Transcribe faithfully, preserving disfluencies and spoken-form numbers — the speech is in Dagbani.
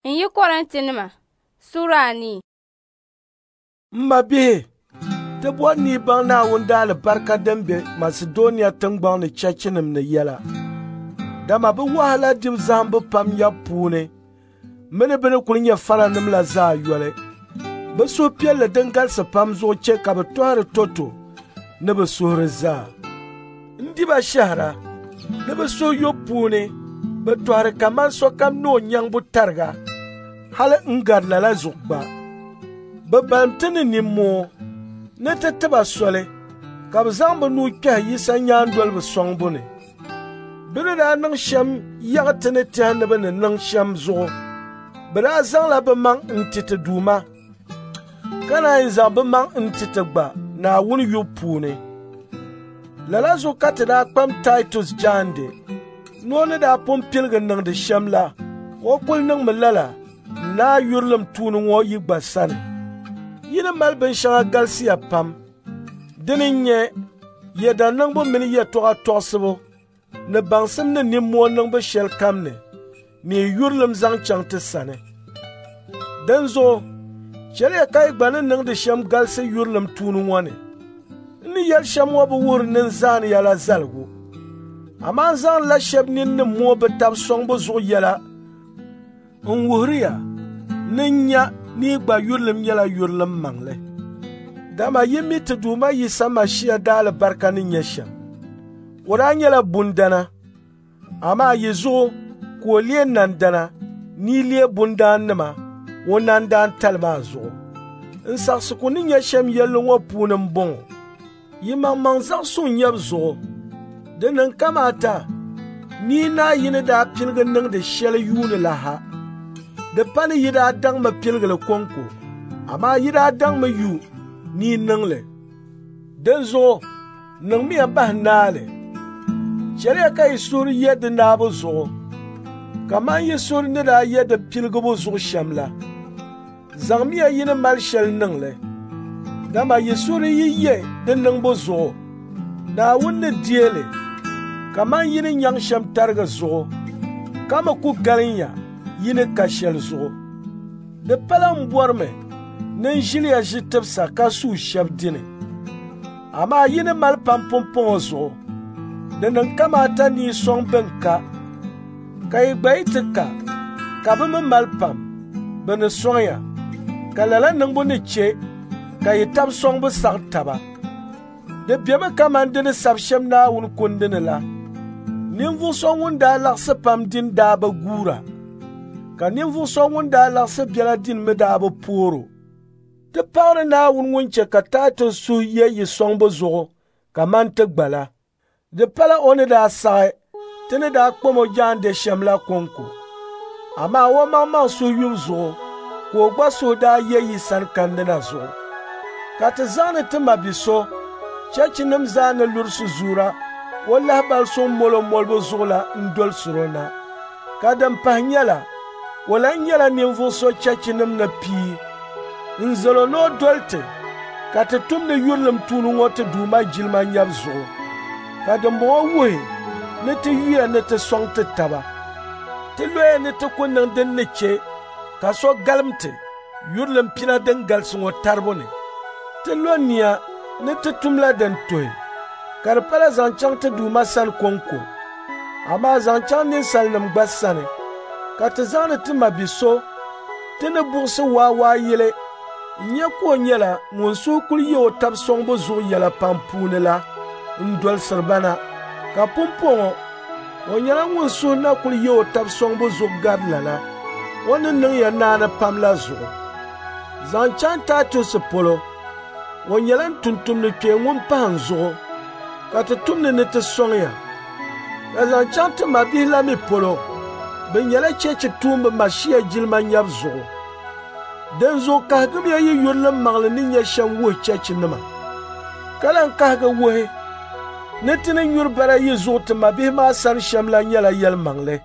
N yi Korintinima sura anii. M mabihi, ti bɔri ni yi baŋ Naawuni daalibarika din be Masidɔnia tiŋgbɔŋ ni cheechinima ni yɛla. Dama bɛ wahala dibu zahimbu pam nyabu puuni mini bɛ ni kul nyɛ faranim la zaa yoli. Bɛ suhupiɛlli din galisi pam zuɣu chɛ ka bɛ tɔhiri tɔto ni bɛ suhuri zaa. N di ba shɛhira ni bɛ suhuyubu puuni bɛ tɔhiri kaman sokam ni o nyaŋbu tariga, hali n-gari lala zuɣu gba. Bɛ balim ti ni nimmoo ni ti ti ba soli ka bɛ zaŋ bɛ nuu kpɛhi Yisa nyaandoliba sɔŋbu ni. Bɛ ni daa niŋ shɛm yaɣi ti ni tɛhi ni bɛ ni niŋ shɛm zuɣu, bɛ daa zaŋla bɛ maŋ n-ti ti Duuma, ka naan zaŋ bɛ maŋ n-ti ti gba Naawuni yubu puuni. Lala zuɣu ka ti daa kpam Taitus jaande ni o ni daa pun piligi niŋdi shɛm la, o kul niŋmi lala n-naai yurilim tuuni ŋɔ yi gba sani. Yi ni mali binshɛŋa galisiya pam. Dini n-nyɛ yɛda niŋbu mini yɛtɔɣa tɔɣisibu ni baŋsim ni nimmoo niŋbu shɛlikam ni, ni yi yurilim zaŋ chaŋ ti sani. Dinzuɣu chɛliya ka yi gba ni niŋdi shɛm galisi yurilim tuuni ŋɔ ni. N ni yɛli shɛm ŋɔ bi wuhiri ni n zaani ya la zaligu, amaa n zaŋdila shɛba nini ni mooi bɛ tab sɔŋbu zuɣu yɛla n wuhiri ya ni n nya ni yi gba yurilim nyɛla yurilim maŋli. Dama yi mi ti Duuma Yisa Mashia daalibarika ni nyɛ shɛm. O daa nyɛla bundana, amaa yi zuɣu ka o leei nandana ni yi leei bundaannima o nandaantali maa zuɣu. N saɣisigu ni nyɛ shɛm yɛlli ŋɔ puuni m-bɔŋɔ: yi maŋmaŋ zaɣ suŋ nyabu zuɣu, di niŋ kamaata ni yi naai yi ni daa piligi niŋdi shɛli yuuni la ha. Di pa ni yi daa daŋmi piligi li kɔŋko, amaa yi daa daŋmi yu ni yi niŋ li. Dinzuɣu niŋmiya bahi naali. Chɛliya ka yi suhuri ye di naabu zuɣu, kaman yi suhuri ni daa ye di piligibu zuɣu shɛm la. Zaŋmiya yi ni mali shɛli niŋ li, dama yi suhuri yi ye di niŋbu zuɣu, Naawuni ni deei li kaman yi ni nyaŋ shɛm tariga zuɣu, ka mi ku galim ya yi ni ka shɛli zuɣu. Di pala m bɔrimi ni n ʒiliya ʒi tibisa ka suui shɛba dini, amaa yi ni mali pam pumpɔŋɔ zuɣu, di niŋ kamaata ni yi sɔŋ bɛn ka, ka yi gba yi ti ka, ka bɛ mi mali pam, bɛ ni sɔŋ ya, ka lala niŋbu ni chɛ ka yi tab sɔŋbu saɣi taba. Di bemi kaman di ni sabi shɛm Naawuni kundi ni la. Ninvuɣ so ŋun daa laɣisi pam dini daa bi guura, ka ninvuɣ so ŋun daa laɣisi biɛla dini mi daa bi poor o. Ti paɣiri Naawuni ŋun chɛ ka Taitus suhu ye yi sɔŋbu zuɣu kaman ti gba la. Di pala o ni daa saɣi ti ni daa kpam o jaande shɛm la kɔŋko, amaa o maŋmaŋ suhuyubu zuɣu ka o gba suhu daa ye yi sani kandi na zuɣu. Ka ti zaŋdi ti mabi so cheechinima zaa ni luri sizuura o lahibali suŋ molo molibu zuɣu la n-dolisir o na. Ka din pahi nyɛla, o lan nyɛla ninvuɣ so cheechinima ni pii n-zal o ni o doli ti ka ti tumdi yurilim tuuni ŋɔ ti Duuma jilima nyabu zuɣu. Ka dimbɔŋɔ wuhi ni ti yuya ni ti sɔŋ ti taba. Ti loya ni ti ku niŋ din ni chɛ ka so galim ti yurilim pina din galisi ŋɔ taribu ni. Ti lo nia ni ti tumla din tuhi, ka di pala zaŋ chaŋ ti Duuma sani kɔŋko, amaa zaŋ chaŋ ninsalinim gba sani. Ka ti zaŋdi ti mabi so ti ni buɣisi waawaayili n-nyɛ ka o nyɛla ŋun suhu kul ye o tab sɔŋbu zuɣu yɛla pam puuni la n-dolisiri ba na. Ka pumpɔŋɔ o nyɛla ŋun suhu na kul ye o tab sɔŋbu zuɣu gari lala, o ni niŋ ya naani pam la zuɣu. Zaŋ chaŋ Taitus polo, o nyɛla n tumtumdi kpee ŋun pahi n zuɣu, ka ti tumdi ni ti sɔŋ ya. Ka zaŋ chaŋ ti mabihi la mi polo, bɛ nyɛla cheechi tuumba Mashia jilima nyabu zuɣu. Dinzuɣu kahigimiya yi yurilim maŋli ni nyɛ shɛm wuhi cheechinima, ka lan kahigi wuhi ni ti ni nyuri bara yi zuɣu ti mabihi maa sani shɛm la nyɛla yɛlimaŋli.